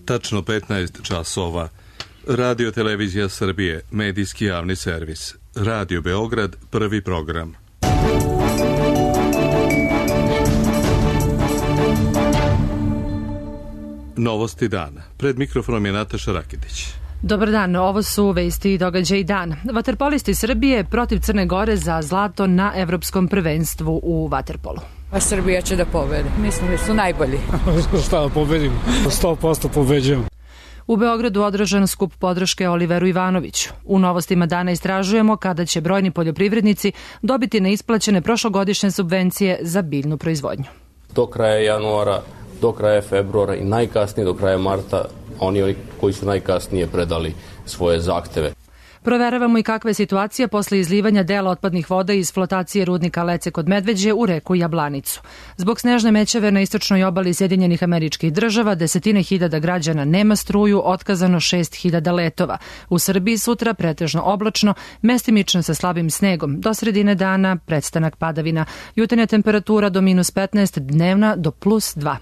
Tačno 15 časova. Radio Televizija Srbije, medijski javni servis. Radio Beograd, prvi program. Novosti dana. Pred mikrofonom je Nataša Rakitić. Dobar dan, ovo su vesti i događaji dana. Vaterpolisti Srbije protiv Crne Gore za zlato na evropskom prvenstvu u vaterpolu. A Srbija će da pobedi. Mislim da su najbolji. Šta da pobedim? 100% pobeđujem. U Beogradu održan skup podrške Oliveru Ivanoviću. U novostima dana istražujemo kada će brojni poljoprivrednici dobiti neisplaćene prošlogodišnje subvencije za biljnu proizvodnju. Do kraja januara, do kraja februara i najkasnije do kraja marta oni koji su najkasnije predali svoje zahteve. Proveravamo i kakva je situacija posle izlivanja dela otpadnih voda iz flotacije rudnika Lece kod Medveđe u reku Jablanicu. Zbog snežne mećave na istočnoj obali Sjedinjenih Američkih Država desetine hiljada građana nema struju, otkazano 6.000 letova. U Srbiji sutra pretežno oblačno, mestimično sa slabim snegom. Do sredine dana prestanak padavina. Jutarnja temperatura do -15, dnevna do +2.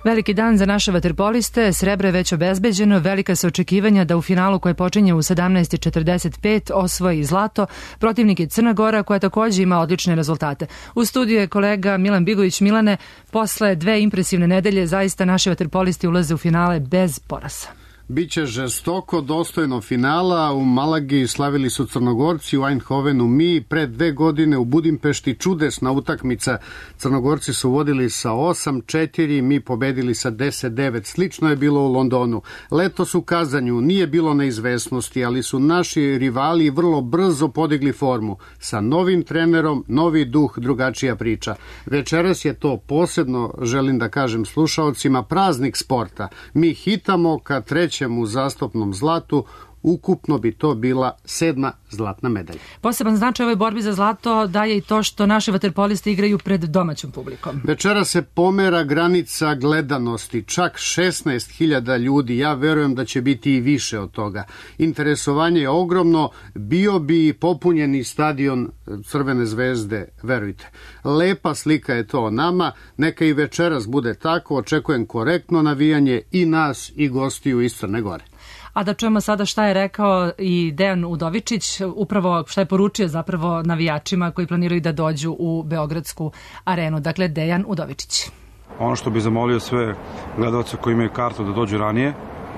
Veliki dan za naše vaterpoliste, srebro je već obezbeđeno, velika su očekivanja da u finalu koje počinje u 17:45 osvoji zlato. Protivnik je Crna Gora koja takođe ima odlične rezultate. U studiju je kolega Milan Bigović. Milane, posle dve impresivne nedelje zaista naši vaterpolisti ulaze u finale bez poraza. Biće žestoko, dostojno finala. U Malagi slavili su Crnogorci, u Eindhovenu mi. Pred 2 godine u Budimpešti čudesna utakmica. Crnogorci su vodili sa 8-4, mi pobedili sa 10-9. Slično je bilo u Londonu. Letos u Kazanju nije bilo neizvesnosti, ali su naši rivali vrlo brzo podigli formu. Sa novim trenerom, novi duh, drugačija priča. Večeras je to posebno, želim da kažem slušaocima, praznik sporta. Mi hitamo ka trećem u zastupnom zlatu, ukupno bi to bila 7. zlatna medalja. Poseban značaj ovoj borbi za zlato daje i to što naši vaterpolisti igraju pred domaćom publikom. Večera se pomera granica gledanosti, čak 16.000 ljudi, ja verujem da će biti i više od toga. Interesovanje je ogromno, bio bi popunjeni stadion Crvene zvezde, verujte. Lepa slika je to o nama, neka i večeras bude tako, očekujem korektno navijanje i nas i gostiju iz Crne Gore. A da čujemo sada šta je rekao i Dejan Udovičić, upravo šta je poručio zapravo navijačima koji planiraju da dođu u Beogradsku arenu. Dakle, Dejan Udovičić. Ono što bi zamolio sve gledalce koji imaju kartu da dođu ranije,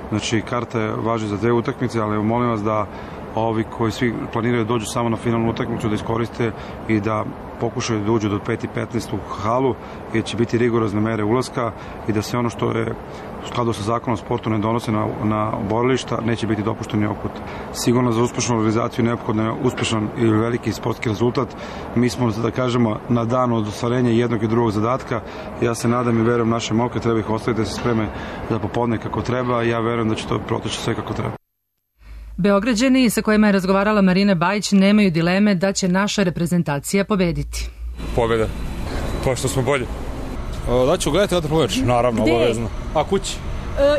znači karta važi za 2 utakmice, ali molim vas da ovi koji svi planiraju da dođu samo na finalnu utakmicu da iskoriste i da pokušaju da uđu do 5:15 u halu, jer će biti rigorozne mere ulaska i da se ono što je u skladu sa zakonom o sportu ne donose na borilišta, neće biti dopušteni oput. Sigurno za uspešnu organizaciju neophodno je uspešan i veliki sportski rezultat. Mi smo, da kažemo, na dan od ostvarenja jednog i drugog zadatka. Ja se nadam i verujem naše momke, treba ih ostaviti da se spreme za popodne kako treba. Ja verujem da će to proteći sve kako treba. Beograđani sa kojima je razgovarala Marina Bajić nemaju dileme da će naša reprezentacija pobediti. Pobjeda. To što smo bolji. Da ću gledati vaterpolo meč, naravno, obavezno. A kući?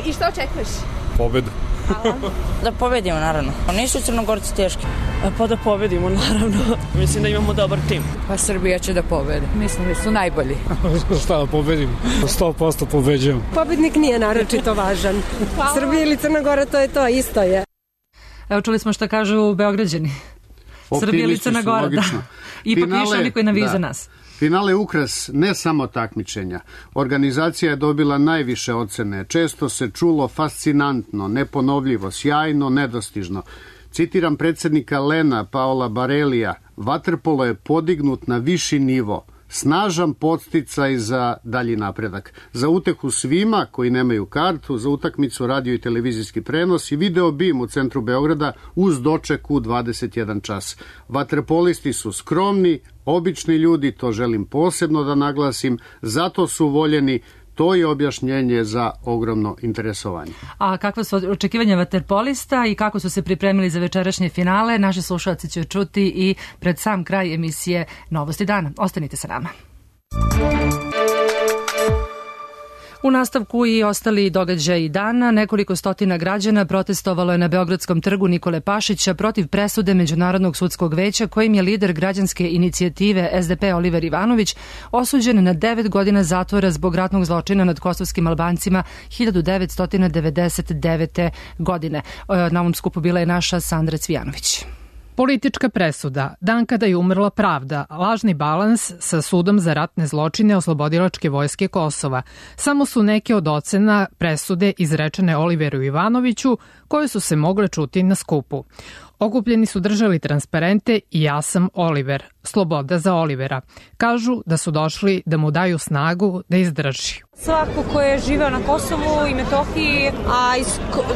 I šta očekuješ? Pobedu. Da pobedimo, naravno. Nisu Crnogorci teški. Pa da pobedimo, naravno. Mislim da imamo dobar tim. Pa Srbija će da pobedi. Mislim da su najbolji. Šta da pobedim? 100% pobeđujem. Pobednik nije naročito važan. Srbija ili Crna Gora, to je to, isto je. Evo, čuli smo šta kažu Beograđani. Srbija ili Crna Gora, da. Ipak više oni koji naviju za nas. Finale je ukras ne samo takmičenja. Organizacija je dobila najviše ocene. Često se čulo fascinantno, neponovljivo, sjajno, nedostižno. Citiram predsjednika Lena Paola Barelija, vaterpolo je podignut na viši nivo. Snažan podsticaj za dalji napredak. Za utehu svima koji nemaju kartu, za utakmicu radio i televizijski prenos i video bim u centru Beograda uz doček u 21 čas. Vaterpolisti su skromni, obični ljudi, to želim posebno da naglasim, zato su voljeni. To je objašnjenje za ogromno interesovanje. A kakva su očekivanja vaterpolista i kako su se pripremili za večerašnje finale, naši slušalci će čuti i pred sam kraj emisije Novosti dana. Ostanite sa nama. U nastavku i ostali događaji dana, nekoliko stotina građana protestovalo je na Beogradskom trgu Nikole Pašića protiv presude Međunarodnog sudskog veća kojim je lider građanske inicijative SDP Oliver Ivanović osuđen na 9 godina zatvora zbog ratnog zločina nad kosovskim Albancima 1999. godine. Na ovom skupu bila je naša Sandra Cvijanović. Politička presuda, dan kada je umrla pravda, lažni balans sa sudom za ratne zločine Oslobodilačke vojske Kosova. Samo su neke od ocena presude izrečene Oliveru Ivanoviću koje su se mogle čuti na skupu. Okupljeni su držali transparente i ja sam Oliver, sloboda za Olivera. Kažu da su došli da mu daju snagu da izdrži. Svako ko je živeo na Kosovu i Metohiji, a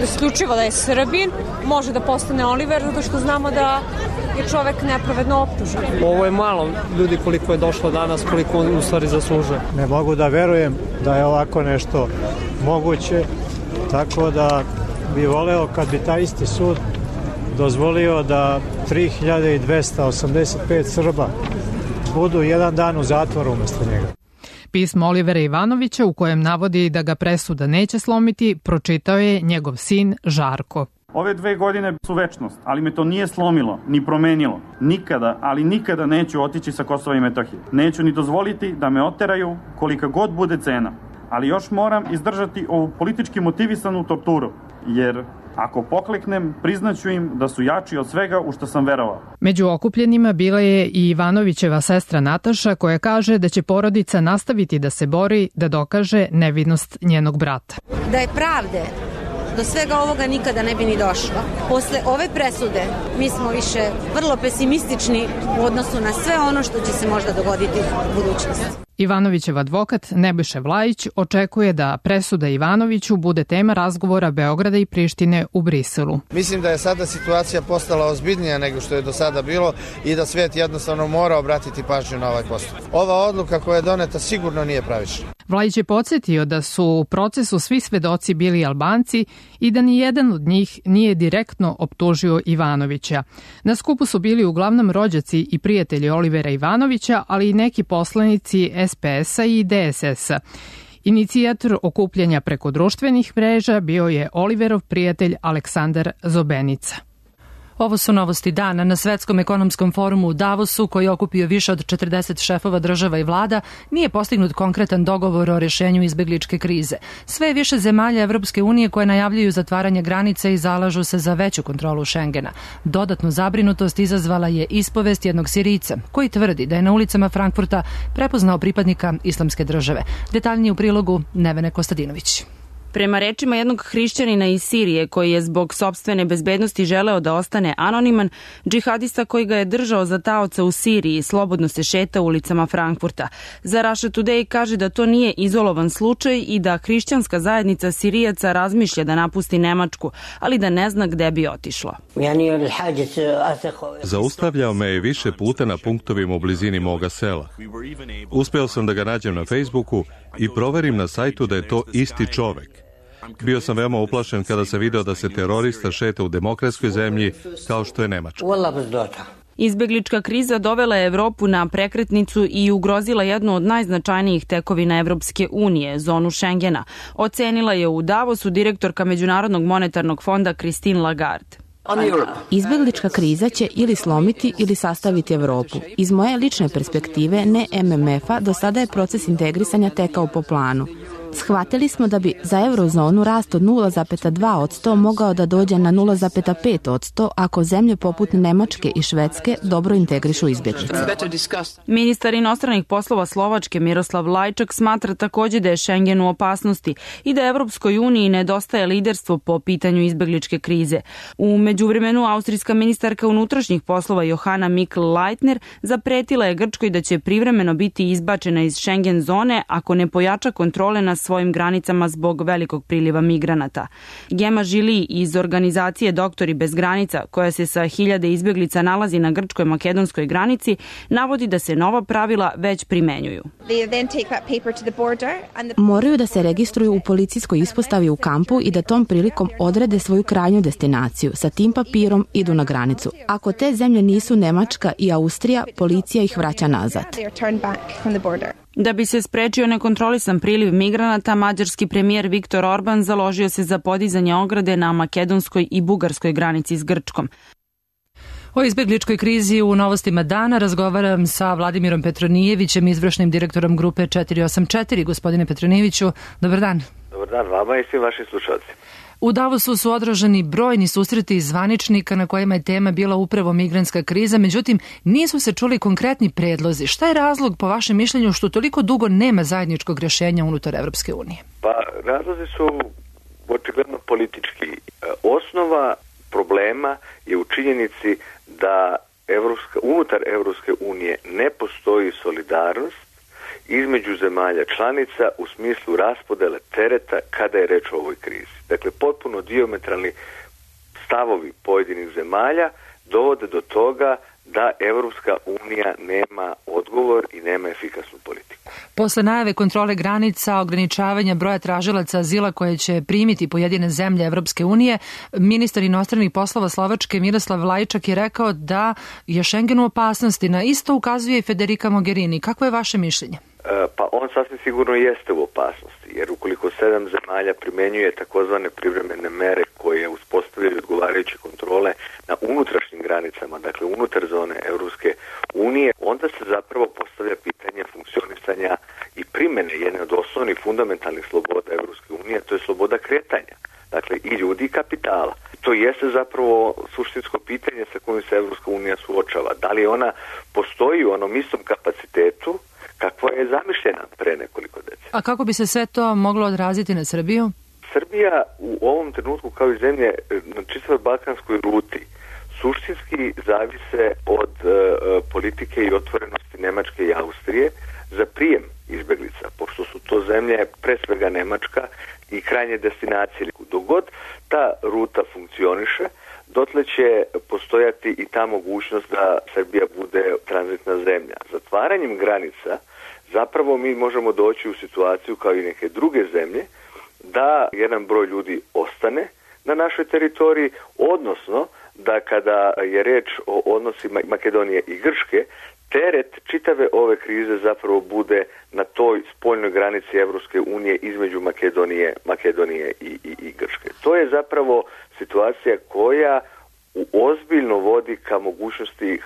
isključivo da je Srbin, može da postane Oliver, zato što znamo da je čovek nepravedno optužen. Ovo je malo ljudi koliko je došlo danas, koliko u stvari zaslužuje. Ne mogu da verujem da je ovako nešto moguće, tako da bi voleo kad bi taj isti sud dozvolio da 3285 Srba budu jedan dan u zatvoru umesto njega. Pismo Olivera Ivanovića u kojem navodi da ga presuda neće slomiti, pročitao je njegov sin Žarko. Ove 2 godine su večnost, ali me to nije slomilo, ni promenilo. Nikada, ali nikada neću otići sa Kosova i Metohije. Neću ni dozvoliti da me oteraju kolika god bude cena. Ali još moram izdržati ovu politički motivisanu torturu, jer ako pokleknem, priznaću im da su jači od svega u što sam verovao. Među okupljenima bila je i Ivanovićeva sestra Nataša koja kaže da će porodica nastaviti da se bori da dokaže nevinost njenog brata. Da je pravde, do svega ovoga nikada ne bi ni došlo. Posle ove presude mi smo više vrlo pesimistični u odnosu na sve ono što će se možda dogoditi u budućnosti. Ivanovićev advokat Nebojša Vlajić očekuje da presuda Ivanoviću bude tema razgovora Beograda i Prištine u Briselu. Mislim da je sada situacija postala ozbiljnija nego što je do sada bilo i da svet jednostavno mora obratiti pažnju na ovaj postupak. Ova odluka koja je doneta sigurno nije pravična. Vlajić je podsjetio da su u procesu svi svedoci bili Albanci i da ni jedan od njih nije direktno optužio Ivanovića. Na skupu su bili uglavnom rođaci i prijatelji Olivera Ivanovića, ali i neki poslanici SPS-a i DSS-a. Inicijator okupljanja preko društvenih mreža bio je Oliverov prijatelj Aleksandar Zobenica. Ovo su novosti dana. Na Svetskom ekonomskom forumu u Davosu, koji je okupio više od 40 šefova država i vlada, nije postignut konkretan dogovor o rešenju izbegličke krize. Sve je više zemalja Evropske unije koje najavljuju zatvaranje granica i zalažu se za veću kontrolu Šengena. Dodatnu zabrinutost izazvala je ispovest jednog Sirijca, koji tvrdi da je na ulicama Frankfurta prepoznao pripadnika Islamske države. Detaljnije u prilogu Nevene Kostadinović. Prema rečima jednog hrišćanina iz Sirije koji je zbog sopstvene bezbednosti želeo da ostane anoniman, džihadista koji ga je držao za taoca u Siriji slobodno se šeta ulicama Frankfurta. Za Russia Today kaže da to nije izolovan slučaj i da hrišćanska zajednica Sirijaca razmišlja da napusti Nemačku, ali da ne zna gde bi otišlo. Zaustavljao me je više puta na punktovima u blizini moga sela. Uspeo sam da ga nađem na Facebooku i proverim na sajtu da je to isti čovek. Bio sam veoma uplašen kada sam video da se terorista šeta u demokratskoj zemlji kao što je Nemačka. Izbeglička kriza dovela je Evropu na prekretnicu i ugrozila jednu od najznačajnijih tekovina Evropske unije, zonu Šengena. Ocenila je u Davosu direktorka Međunarodnog monetarnog fonda Christine Lagarde. Izbeglička kriza će ili slomiti ili sastaviti Evropu. Iz moje lične perspektive, ne MMF-a, do sada je proces integrisanja tekao po planu. Shvatili smo da bi za eurozonu rast od 0,2% mogao da dođe na 0,5% ako zemlje poput Nemačke i Švedske dobro integrišu izbjeglice. Ministar inostranih poslova Slovačke Miroslav Lajčak smatra takođe da je Schengen u opasnosti i da Evropskoj uniji nedostaje liderstvo po pitanju izbegličke krize. U međuvremenu austrijska ministarka unutrašnjih poslova Johanna Mikl-Leitner zapretila je Grčkoj da će privremeno biti izbačena iz Schengen zone ako ne pojača kontrole na svojim granicama zbog velikog priliva migranata. Gema Žili iz organizacije Doktori bez granica, koja se sa 1000 izbjeglica nalazi na grčkoj-makedonskoj granici, navodi da se nova pravila već primenjuju. Moraju da se registruju u policijskoj ispostavi u kampu i da tom prilikom odrede svoju krajnju destinaciju. Sa tim papirom idu na granicu. Ako te zemlje nisu Nemačka i Austrija, policija ih vraća nazad. Da bi se sprečio nekontrolisan priliv migranata, mađarski premijer Viktor Orban založio se za podizanje ograde na makedonskoj i bugarskoj granici s Grčkom. O izbegličkoj krizi u Novostima dana razgovaram sa Vladimirom Petronijevićem, izvršnim direktorom grupe 484. Gospodine Petronijeviću, dobar dan. Dobar dan vama i svim vašim slušalcima. U Davosu su održani brojni susreti zvaničnika na kojima je tema bila upravo migrantska kriza, međutim nisu se čuli konkretni predlozi. Šta je razlog po vašem mišljenju što toliko dugo nema zajedničkog rješenja unutar Evropske unije? Pa razlozi su očigledno politički. Osnova problema je u činjenici da unutar Evropske unije ne postoji solidarnost između zemalja članica u smislu raspodele tereta kada je reč o ovoj krizi. Dakle, potpuno dijametralni stavovi pojedinih zemalja dovode do toga da Evropska unija nema odgovor i nema efikasnu politiku. Posle najave kontrole granica, ograničavanja broja tražilaca azila koje će primiti pojedine zemlje Evropske unije, ministar inostranih poslova Slovačke Miroslav Lajčak je rekao da je Schengen u opasnosti. Na isto ukazuje i Federica Mogherini. Kako je vaše mišljenje? Pa on sasvim sigurno jeste u opasnosti, jer ukoliko 7 zemalja primenjuje takozvane privremene mere koje uspostavljaju odgovarajuće kontrole na unutrašnjim granicama, dakle unutar zone Evropske unije, onda se zapravo postavlja pitanje funkcionisanja i primene jedne od osnovnih fundamentalnih sloboda Evropske unije, to je sloboda kretanja, dakle i ljudi i kapitala. To jeste zapravo suštinsko pitanje sa kojim se Evropska unija suočava. Da li ona postoji u onom istom kapacitetu kakva je zamišljena pre nekoliko decenija. A kako bi se sve to moglo odraziti na Srbiju? Srbija u ovom trenutku kao i zemlje na čitavoj balkanskoj ruti suštinski zavise od politike i otvorenosti Nemačke i Austrije za prijem izbeglica, pošto su to zemlje pre svega Nemačka i krajnje destinacije. Dok god ta ruta funkcioniše, dotle će postojati i ta mogućnost da Srbija bude tranzitna zemlja. Zatvaranjem granica zapravo mi možemo doći u situaciju kao i neke druge zemlje da jedan broj ljudi ostane na našoj teritoriji, odnosno da kada je reč o odnosima Makedonije i Grčke, teret čitave ove krize zapravo bude na toj spoljnoj granici Evropske unije između Makedonije i Grčke. To je zapravo situacija koja ozbiljno vodi ka mogućnosti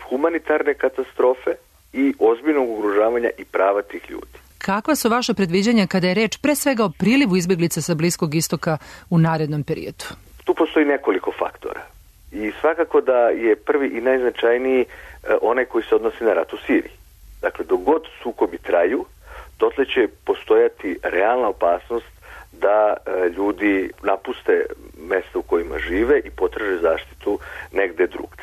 humanitarne katastrofe i ozbiljnog ugrožavanja i prava tih ljudi. Kakva su vaša predviđanja kada je reč pre svega o prilivu izbeglica sa Bliskog istoka u narednom periodu? Tu postoji nekoliko faktora. I svakako da je prvi i najznačajniji onaj koji se odnosi na rat u Siriji. Dakle, dok god sukobi traju, dotle će postojati realna opasnost da ljudi napuste mesta u kojima žive i potraže zaštitu negde drugde.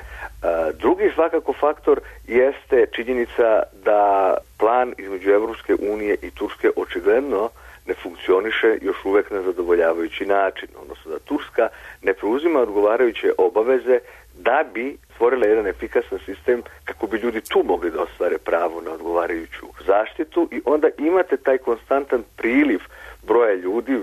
Drugi svakako faktor jeste činjenica da plan između Evropske unije i Turske očigledno ne funkcioniše još uvek na zadovoljavajući način, odnosno da Turska ne preuzima odgovarajuće obaveze da bi stvorila jedan efikasan sistem kako bi ljudi tu mogli da ostvare pravo na odgovarajuću zaštitu i onda imate taj konstantan priliv broja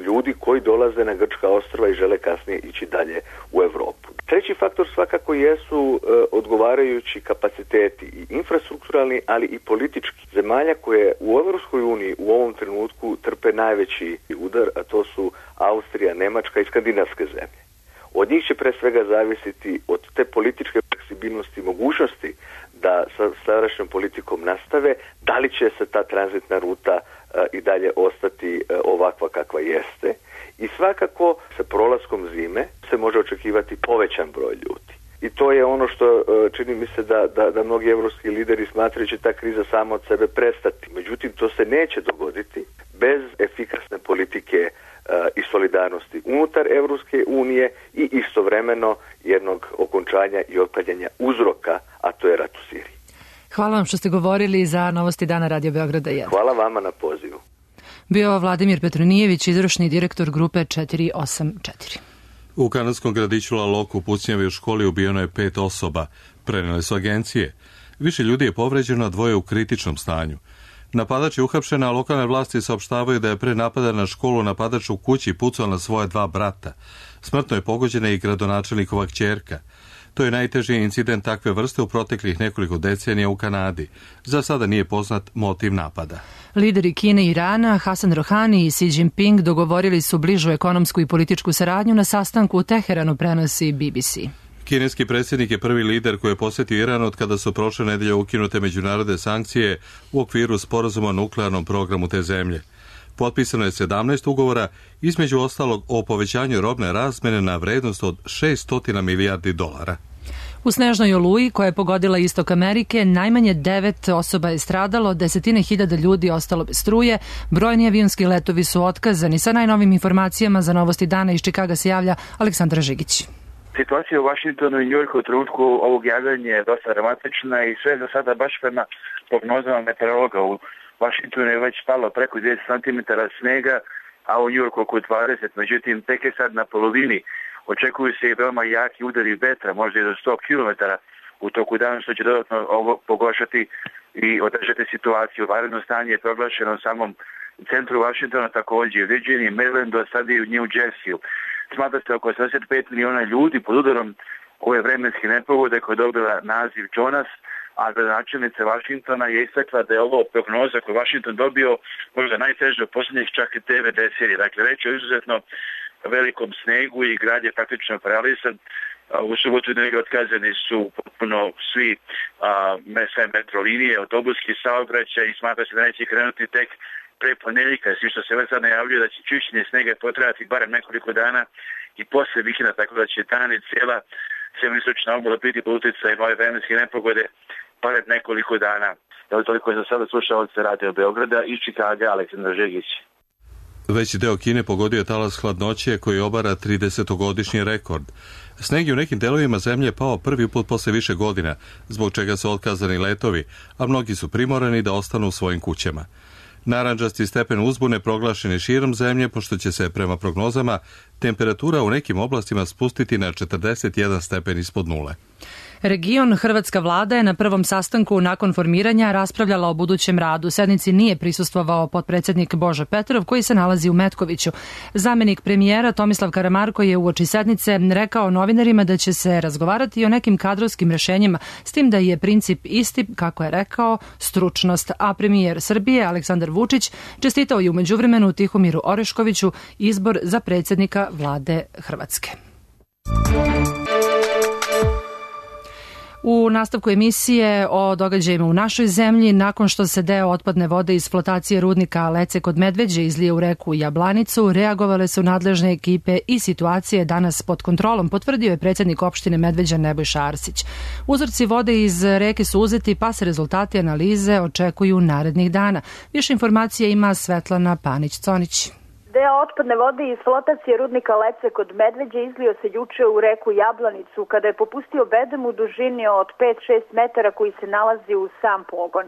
ljudi koji dolaze na grčka ostrva i žele kasnije ići dalje u Evropu. Treći faktor svakako jesu odgovarajući kapaciteti i infrastrukturalni, ali i politički zemalja koje u Evropskoj uniji u ovom trenutku trpe najveći udar, a to su Austrija, Nemačka i skandinavske zemlje. Od njih će pre svega zavisiti od te političke fleksibilnosti i mogućnosti da sa sadašnjom politikom nastave, da li će se ta tranzitna ruta i dalje ostati ovakva kakva jeste. I svakako sa prolaskom zime se može očekivati povećan broj ljudi. I to je ono što čini mi se da mnogi evropski lideri smatraju će ta kriza sama od sebe prestati. Međutim, to se neće dogoditi bez efikasne politike i solidarnosti unutar Evropske unije i istovremeno jednog okončanja i otklanjanja uzroka, a to je rat u Siriji. Hvala vam što ste govorili za Novosti dana Radio Beograda 1. Hvala vama na pozivu. Bio Vladimir Petronijević, izvršni direktor grupe 484. U kanadskom gradiću La Loque u pucnjavi u školi ubijeno je 5 osoba. Prenele su agencije. Više ljudi je povređeno, a 2 u kritičnom stanju. Napadač je uhapšen, a lokalne vlasti saopštavaju da je pre napada na školu napadač u kući pucao na svoje 2 brata. Smrtno je pogođena i gradonačelnikova kćerka. To je najteži incident takve vrste u proteklih nekoliko decenija u Kanadi. Za sada nije poznat motiv napada. Lideri Kine i Irana, Hasan Rohani i Xi Jinping dogovorili su bližu ekonomsku i političku saradnju na sastanku u Teheranu, prenosi BBC. Kineski predsjednik je prvi lider koji je posjetio Iran od kada su prošle nedelje ukinute međunarodne sankcije u okviru sporazuma o nuklearnom programu te zemlje. Potpisano je 17 ugovora, između ostalog o povećanju robne razmjene na vrednost od $600 milijardi. U snežnoj oluji koja je pogodila istok Amerike, najmanje 9 osoba je stradalo, desetine hiljada ljudi ostalo bez struje, brojni avionski letovi su otkazani. Sa najnovim informacijama za Novosti dana iz Čikaga se javlja Aleksandra Žigić. Situacija u Vašingtonu i Njujorku u trenutku ovog javljanja je dosta dramatična i sve za sada baš prema prognozama meteorologa. U Vašingtonu je već palo preko 10 cm snega, a u Njujorku oko 20. Međutim, tek je sad na polovini. Očekuju se i veoma jaki udari vetra, možda i do 100 km u toku dana, što će dodatno ovo pogoršati i održati situaciju. Vanredno stanje je proglašeno u samom centru Vašingtona, također u Virginiji, Marylandu, a sad i u New Jerseyu. Smatra se oko 85 miliona ljudi pod udarom ove vremenske nepogode koja je dobila naziv Jonas, a gradonačelnica Vašingtona je istakla da je ovo prognoza koju Vašington dobio možda najteže u posljednjih čak 9 decenija. Dakle, reč je o izuzetno velikom snegu i grad je praktično paralisan. U subotu i otkazani su potpuno sve metro linije, autobuski saobraćaj i smatra se da neće krenuti tek pre ponedjeljka, svi što se već sad najavljuje da će čišćenje snega potrajati barem nekoliko dana i posle vikenda, tako da će dan i cijela sjeveroistočna obala biti pod utjecajem ove vremenske nepogode barem nekoliko dana. Evo toliko je za sada slušaoce Radio Beograda i Čikaga, Aleksandar Žegić. Veći deo Kine pogodio je talas hladnoće koji obara 30-godišnji rekord. Sneg je u nekim delovima zemlje pao prvi put posle više godina, zbog čega su otkazani letovi, a mnogi su primorani da ostanu u svojim kućama. Narandžasti stepen uzbune proglašen je širom zemlje, pošto će se, prema prognozama, temperatura u nekim oblastima spustiti na 41 stepen ispod nule. Region Hrvatska vlada je na prvom sastanku nakon formiranja raspravljala o budućem radu. Sednici nije prisustvovao potpredsjednik Božo Petrov, koji se nalazi u Metkoviću. Zamenik premijera Tomislav Karamarko je uoči sednice rekao novinarima da će se razgovarati o nekim kadrovskim rešenjima, s tim da je princip isti, kako je rekao, stručnost. A premijer Srbije Aleksandar Vučić čestitao je u međuvremenu Tihomiru Oreškoviću izbor za predsjednika vlade Hrvatske. U nastavku emisije o događajima u našoj zemlji, nakon što se deo otpadne vode iz flotacije rudnika Lece kod Medveđe izlije u reku Jablanicu, reagovale su nadležne ekipe i situacija je danas pod kontrolom, potvrdio je predsjednik opštine Medveđa Nebojša Arsić. Uzorci vode iz reke su uzeti, pa se rezultati analize očekuju narednih dana. Više informacija ima Svetlana Panić-Conić. Deo otpadne vode iz flotacije rudnika Lece kod Medveđe izlio se juče u reku Jablanicu kada je popustio bedem u dužini od 5-6 metara koji se nalazi u sam pogon.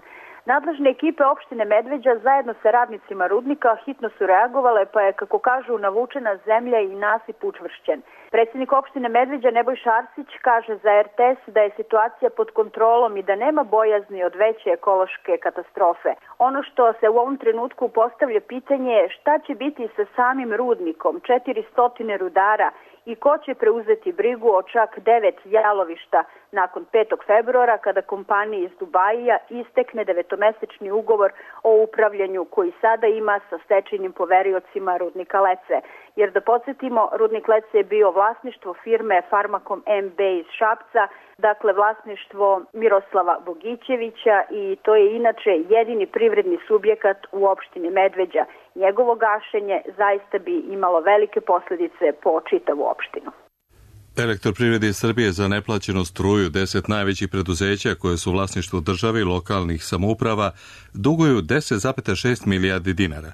Nadležne ekipe opštine Medveđa zajedno sa radnicima rudnika hitno su reagovale, pa je, kako kažu, navučena zemlja i nasip učvršćen. Predsjednik opštine Medveđa Nebojša Arsić kaže za RTS da je situacija pod kontrolom i da nema bojazni od veće ekološke katastrofe. Ono što se u ovom trenutku postavlja pitanje je šta će biti sa samim rudnikom, 400 rudara, i ko će preuzeti brigu o čak 9 jalovišta nakon 5. februara kada kompaniji iz Dubajija istekne 9-mesečni ugovor o upravljanju koji sada ima sa stečajnim poveriocima rudnika Lece. Jer da podsjetimo, rudnik Lece je bio vlasništvo firme Farmakom MB iz Šapca, dakle vlasništvo Miroslava Bogićevića, i to je inače jedini privredni subjekat u opštini Medveđa. Njegovo gašenje zaista bi imalo velike posljedice po čitavu opštinu. Elektroprivredi Srbije za neplaćenu struju 10 najvećih preduzeća koje su u vlasništvu države i lokalnih samouprava duguju 10,6 milijardi dinara.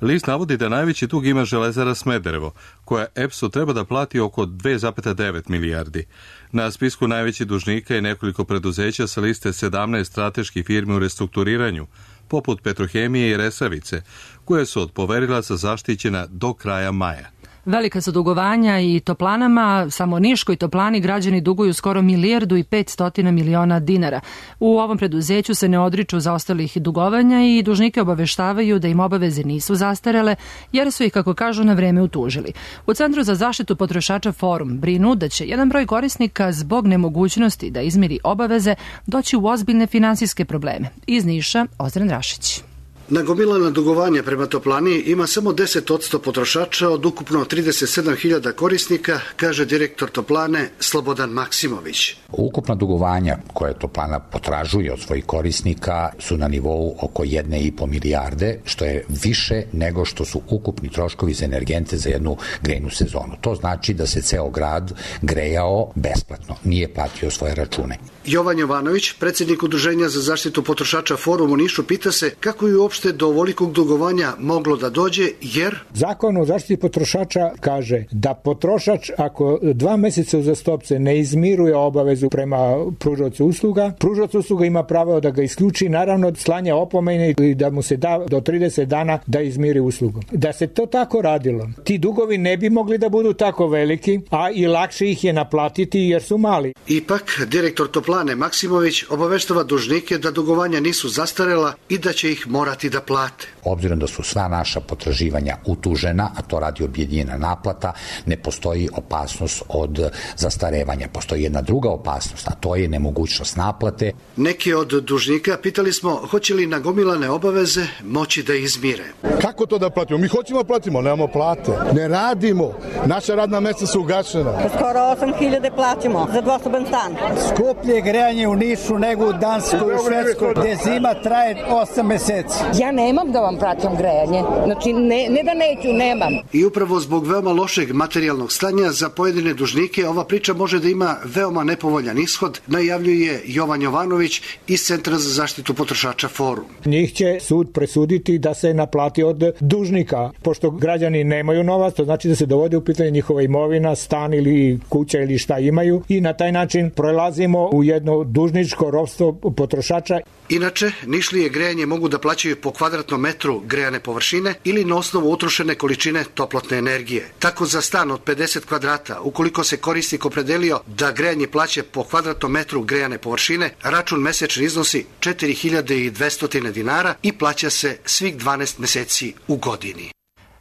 List navodi da najveći dug ima Železara Smederevo, koja EPS-u treba da plati oko 2,9 milijardi. Na spisku najvećih dužnika je nekoliko preduzeća sa liste 17 strateških firmi u restrukturiranju, poput Petrohemije i Resavice, koje su od poverilaca zaštićena do kraja maja. Velika su dugovanja i toplanama, samo Niškoj toplani građani duguju skoro 1.500 miliona dinara. U ovom preduzeću se ne odriču zaostalih dugovanja i dužnike obaveštavaju da im obaveze nisu zastarele, jer su ih, kako kažu, na vreme utužili. U Centru za zaštitu potrošača Forum brinu da će jedan broj korisnika zbog nemogućnosti da izmiri obaveze doći u ozbiljne finansijske probleme. Iz Niša, Ozren Rašić. Nagomilana dugovanja prema toplani ima samo 10% potrošača od ukupno 37.000 korisnika, kaže direktor toplane Slobodan Maksimović. Ukupna dugovanja koje toplana potražuje od svojih korisnika su na nivou oko 1,5 milijarde, što je više nego što su ukupni troškovi za energente za jednu grejnu sezonu. To znači da se ceo grad grejao besplatno, nije platio svoje račune. Jovan Jovanović, predsjednik Udruženja za zaštitu potrošača Forum u Nišu, pita se kako je uopšte do ovolikog dugovanja moglo da dođe, jer Zakon o zaštiti potrošača kaže da potrošač ako 2 meseca uzastopce ne izmiruje obavezu prema pružaocu usluga, pružaoc usluga ima pravo da ga isključi, naravno slanja opomene i da mu se da do 30 dana da izmiri uslugu. Da se to tako radilo, ti dugovi ne bi mogli da budu tako veliki, a i lakše ih je naplatiti jer su mali. Ipak, direktor toplane Maksimović obaveštava dužnike da dugovanja nisu zastarela i da će ih morati da plate. Obzirom da su sva naša potraživanja utužena, a to radi objedinjena naplata, ne postoji opasnost od zastarevanja. Postoji jedna druga opasnost, a to je nemogućnost naplate. Neki od dužnika pitali smo hoće li nagomilane obaveze moći da izmire. Kako to da platimo? Mi hoćemo da platimo, nemamo plate. Ne radimo. Naša radna mesta su ugašena. Skoro 8.000 plaćamo za dvosoban stan. Skuplje grejanje u Nišu nego u Danskoj i Švedskoj, gde zima traje 8 meseci. Ja nemam da vam plaćam grejanje. Znači, ne da neću, nemam. I upravo zbog veoma lošeg materijalnog stanja za pojedine dužnike ova priča može da ima veoma nepovoljan ishod, najavljuje Jovan Jovanović iz Centra za zaštitu potrošača Forum. Njih će sud presuditi da se naplati od dužnika. Pošto građani nemaju novac, to znači da se dovodi u pitanje njihova imovina, stan ili kuća ili šta imaju i na taj način prelazimo u jedno dužničko ropstvo potrošača. Inače, Nišlije grejanje mogu da plaćaju po kvadratnom metru grejane površine ili na osnovu utrošene količine toplotne energije. Tako za stan od 50 kvadrata, ukoliko se korisnik opredelio da grejanje plaća po kvadratnom metru grejane površine, račun mesečni iznosi 4.200 dinara i plaća se svih 12 meseci u godini.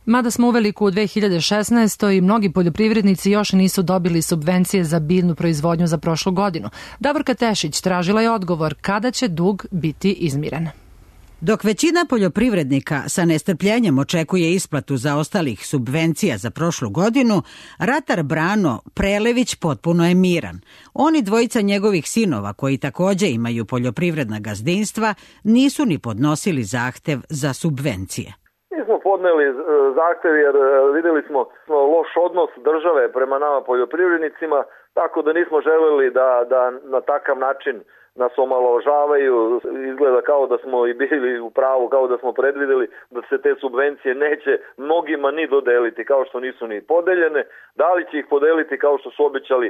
Mada smo uveliko u 2016. i mnogi poljoprivrednici još nisu dobili subvencije za biljnu proizvodnju za prošlu godinu. Davorka Tešić tražila je odgovor kada će dug biti izmiren. Dok većina poljoprivrednika sa nestrpljenjem očekuje isplatu zaostalih subvencija za prošlu godinu, ratar Brano Prelević potpuno je miran. On i dvojica njegovih sinova, koji takođe imaju poljoprivredna gazdinstva, nisu ni podnosili zahtev za subvencije. Mi smo podneli zahtev jer videli smo loš odnos države prema nama poljoprivrednicima, tako da nismo želeli da na takav način nas omalovažavaju. Izgleda kao da smo i bili u pravu, kao da smo predvideli da se te subvencije neće mnogima ni dodeliti, kao što nisu ni podeljene. Da li će ih podeliti kao što su obećali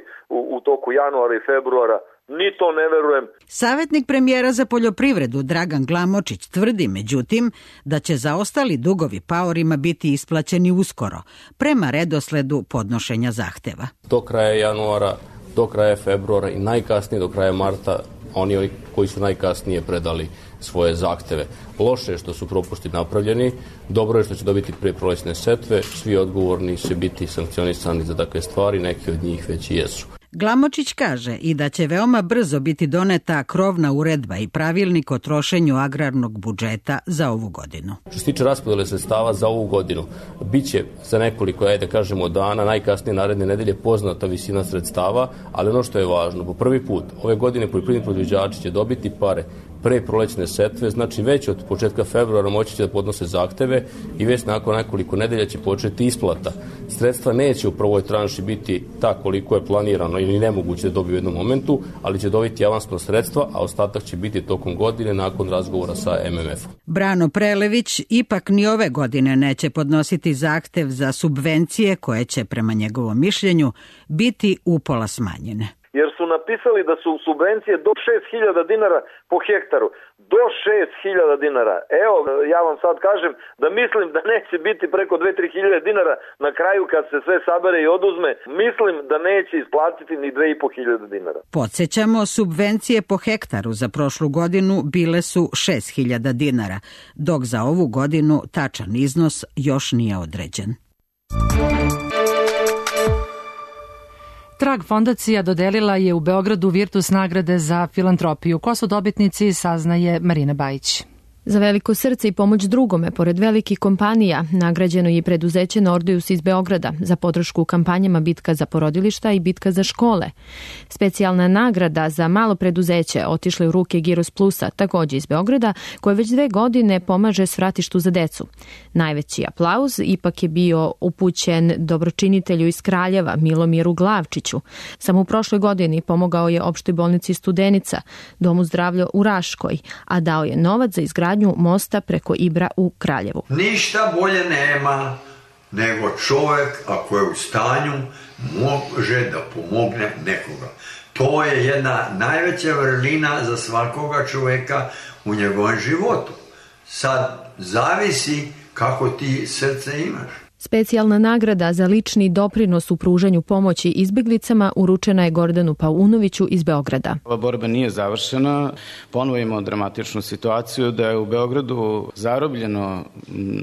u toku januara i februara, ni to ne verujem. Savetnik premijera za poljoprivredu Dragan Glamočić tvrdi, međutim, da će zaostali dugovi paorima biti isplaćeni uskoro, prema redosledu podnošenja zahteva. Do kraja januara, do kraja februara i najkasnije do kraja marta oni koji su najkasnije predali svoje zahteve. Loše je što su propusti napravljeni, dobro je što će dobiti pre prolećne setve, svi odgovorni će biti sankcionisani za takve stvari, neki od njih već i jesu. Glamočić kaže i da će veoma brzo biti doneta krovna uredba i pravilnik o trošenju agrarnog budžeta za ovu godinu. Što se tiče raspodele sredstava za ovu godinu, biće za nekoliko, ajde kažemo, dana, najkasnije naredne nedelje poznata visina sredstava, ali ono što je važno, po prvi put ove godine poljoprivredni proizvođači će dobiti pare pre prolećne setve, znači već od početka februara moći će da podnose zahteve i već nakon nekoliko nedelja će početi isplata. Sredstva neće u prvoj tranši biti ta koliko je planirano ili nemoguće da dobiju u jednom momentu, ali će dobiti avansno sredstva, a ostatak će biti tokom godine nakon razgovora sa MMF-om. Brano Prelević ipak ni ove godine neće podnositi zahtev za subvencije koje će, prema njegovom mišljenju, biti upola smanjene. jer su napisali da su subvencije do 6.000 dinara po hektaru. Do 6.000 dinara. Evo, ja vam sad kažem da mislim da neće biti preko 2-3 hiljade dinara na kraju kad se sve sabere i oduzme. Mislim da neće isplatiti ni 2.500 dinara. Podsjećamo, subvencije po hektaru za prošlu godinu bile su 6.000 dinara, dok za ovu godinu tačan iznos još nije određen. Trag fondacija dodelila je u Beogradu Virtus nagrade za filantropiju. Ko su dobitnici, saznaje Marina Bajić. Za veliko srce i pomoć drugome, pored velikih kompanija, nagrađeno je preduzeće Nordeus iz Beograda za podršku u kampanjama Bitka za porodilišta i Bitka za škole. Specijalna nagrada za malo preduzeće otišle u ruke Giros Plusa, takođe iz Beograda, koje već 2 godine pomaže svratištu za decu. Najveći aplauz ipak je bio upućen dobročinitelju iz Kraljeva, Milomiru Glavčiću. Samo u prošloj godini pomogao je opštoj bolnici Studenica, Domu zdravlja u Raškoj, a dao je novac za izgradnju mosta preko Ibra u Kraljevu. Ništa bolje nema nego čovjek ako je u stanju može da pomogne nekoga. To je jedna najveća vrlina za svakoga čovjeka u njegovom životu. Sad zavisi kako ti srce imaš. Specijalna nagrada za lični doprinos u pružanju pomoći izbeglicama uručena je Gordanu Paunoviću iz Beograda. Ova borba nije završena. Ponovo imamo dramatičnu situaciju da je u Beogradu zarobljeno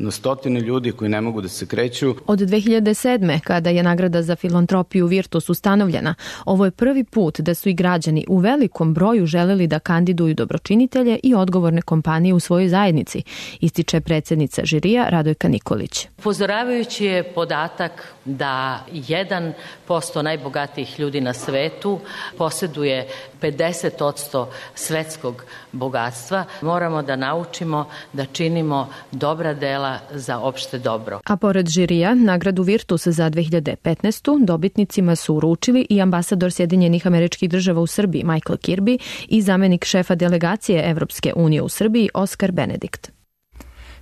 na stotine ljudi koji ne mogu da se kreću. Od 2007. kada je nagrada za filantropiju Virtus ustanovljena, ovo je prvi put da su i građani u velikom broju želeli da kandiduju dobročinitelje i odgovorne kompanije u svojoj zajednici, ističe predsednica žirija Radojka Nikolić. Upozoravaju je podatak da 1% najbogatijih ljudi na svetu posjeduje 50% svetskog bogatstva. Moramo da naučimo da činimo dobra dela za opšte dobro. A pored žirija, nagradu Virtus za 2015. dobitnicima su uručili i ambasador Sjedinjenih Američkih Država u Srbiji Michael Kirby i zamenik šefa delegacije Evropske unije u Srbiji Oskar Benedikt.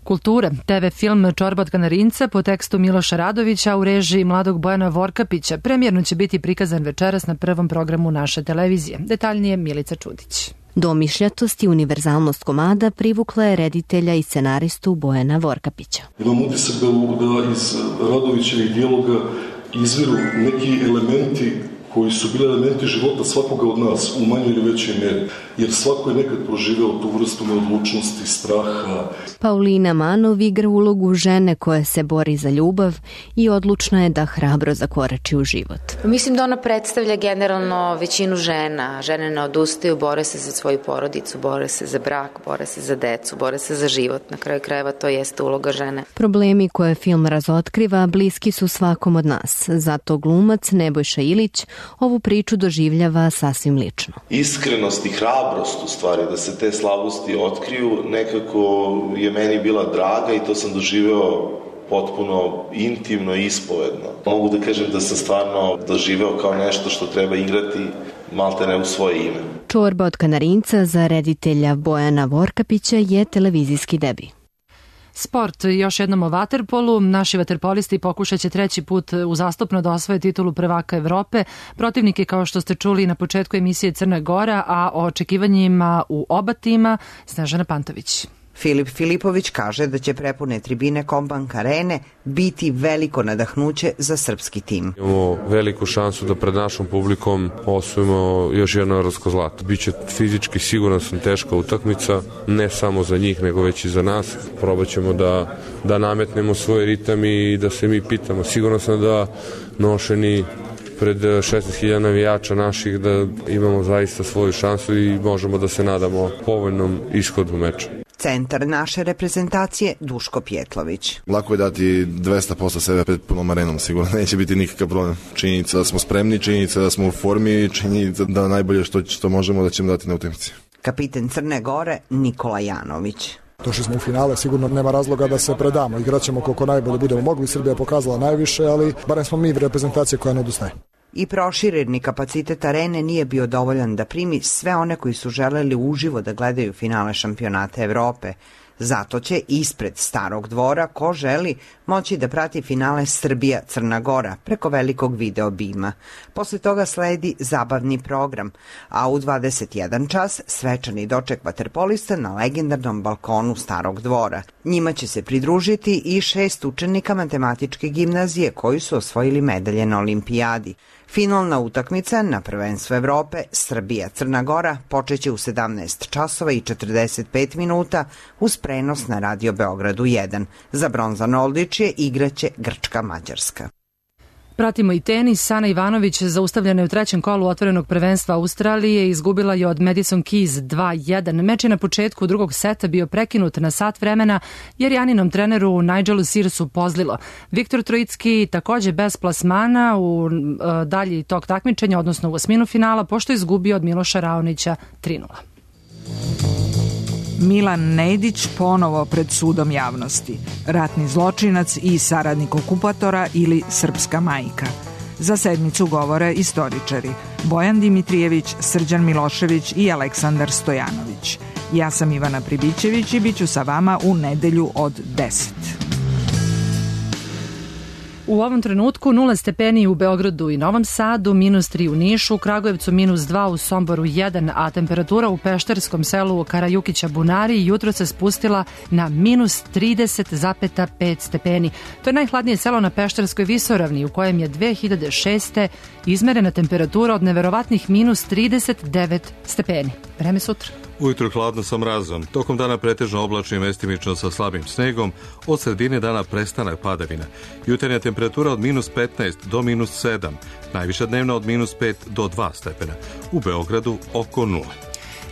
Kultura, TV film Čorba od Kanarinca po tekstu Miloša Radovića u režiji mladog Bojana Vorkapića premijerno će biti prikazan večeras na prvom programu naše televizije. Detaljnije Milica Čudić. Domišljatost i univerzalnost komada privukla je reditelja i scenaristu Bojana Vorkapića. Imam utisak da iz Radovićevih dijaloga izviru neki elementi koji su bili elementi života svakoga od nas u manjoj ili većoj mjeri, jer svako je nekad proživeo tu vrstu neodlučnosti, straha. Paulina Manov igra ulogu žene koja se bori za ljubav i odlučna je da hrabro zakorači u život. Mislim da ona predstavlja generalno većinu žena. Žene ne odustaju, bore se za svoju porodicu, bore se za brak, bore se za decu, bore se za život. Na kraju krajeva to jeste uloga žene. Problemi koje film razotkriva bliski su svakom od nas. Zato glumac Nebojša Ilić ovu priču doživljava sasvim lično. Iskrenost i hrabrost u stvari da se te slabosti otkriju nekako je meni bila draga i to sam doživeo potpuno intimno i ispovedno. Mogu da kažem da sam stvarno doživeo kao nešto što treba igrati maltene u svoje ime. Čorba od Kanarinca za reditelja Bojana Vorkapića je televizijski debi. Sport, još jednom o vaterpolu. Naši vaterpolisti pokušat će 3. put uzastopno da osvoje titulu prvaka Evrope. Protivnik je, kao što ste čuli na početku emisije, Crna Gora, a o očekivanjima u oba tima Snežana Pantović. Filip Filipović kaže da će prepune tribine Kombank Arene biti veliko nadahnuće za srpski tim. Imamo veliku šansu da pred našom publikom osvojimo još jedno evropsko zlato. Biće fizički, siguran sam, teška utakmica, ne samo za njih, nego već i za nas. Probat ćemo da nametnemo svoj ritam i da se mi pitamo. Siguran sam da nošeni pred 16.000 navijača naših da imamo zaista svoju šansu i možemo da se nadamo povoljnom ishodu meča. Centar naše reprezentacije Duško Pjetlović. Lako je dati 200% sebe pred punom arenom, sigurno neće biti nikakav problem. Činjenica da smo spremni, činjenica da smo u formi, činjenica da najbolje što možemo da ćemo dati na utakmici. Kapiten Crne Gore Nikola Janović. Došli smo u finale, sigurno nema razloga da se predamo. Igraćemo koliko najbolje budemo mogli, Srbija je pokazala najviše, ali barem smo mi reprezentacija koja ne odustaje. I prošireni kapacitet arene nije bio dovoljan da primi sve one koji su želeli uživo da gledaju finale šampionata Evrope. Zato će ispred Starog dvora, ko želi, moći da prati finale Srbija-Crna Gora preko velikog video bima. Posle toga sledi zabavni program, a u 21 čas svečani doček vaterpolista na legendarnom balkonu Starog dvora. Njima će se pridružiti i 6 učenika matematičke gimnazije koji su osvojili medalje na olimpijadi. Finalna utakmica na prvenstvu Evrope Srbija-Crna Gora počeće u 17 časova i 45 minuta uz prenos na Radio Beogradu 1. Za bronzano odličje igraće Grčka-Mađarska. Pratimo i tenis. Ana Ivanović, zaustavljena je u trećem kolu otvorenog prvenstva Australije, izgubila je od Madison Keys 2-1. Meč je na početku drugog seta bio prekinut na sat vremena jer Janinom treneru Nigelu Searsu pozlilo. Viktor Trojicki takođe bez plasmana u dalji tok takmičenja, odnosno u osminu finala, pošto je izgubio od Miloša Raonića 3-0. Milan Nedić ponovo pred sudom javnosti. Ratni zločinac i saradnik okupatora ili srpska majka. Za sednicu govore istoričari Bojan Dimitrijević, Srđan Milošević i Aleksandar Stojanović. Ja sam Ivana Pribićević i bit ću sa vama u nedelju od 10. U ovom trenutku 0 stepeni u Beogradu i Novom Sadu, -3 u Nišu, u Kragujevcu -2, u Somboru 1, a temperatura u pešterskom selu Karajukića Bunari jutro se spustila na -30,5 stepeni. To je najhladnije selo na Pešterskoj visoravni u kojem je 2006. izmerena temperatura od neverovatnih -39 stepeni. Vreme sutra. Ujutro hladno sa mrazom, tokom dana pretežno oblačno i mestimično sa slabim snegom, od sredine dana prestanak padavina. Jutarnja temperatura od -15 do -7, najviša dnevna od -5 do 2 stepena. U Beogradu oko 0.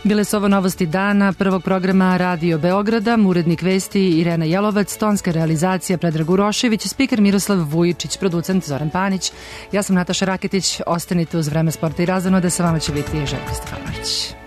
Bile su ovo novosti dana prvog programa Radio Beograda, urednik vesti Irena Jelovac, tonska realizacija Predrag Urošević, spiker Miroslav Vujičić, producent Zoran Panić. Ja sam Nataša Raketić, ostanite uz Vreme sporta i razonode, sa vama će biti Željko Stefanović.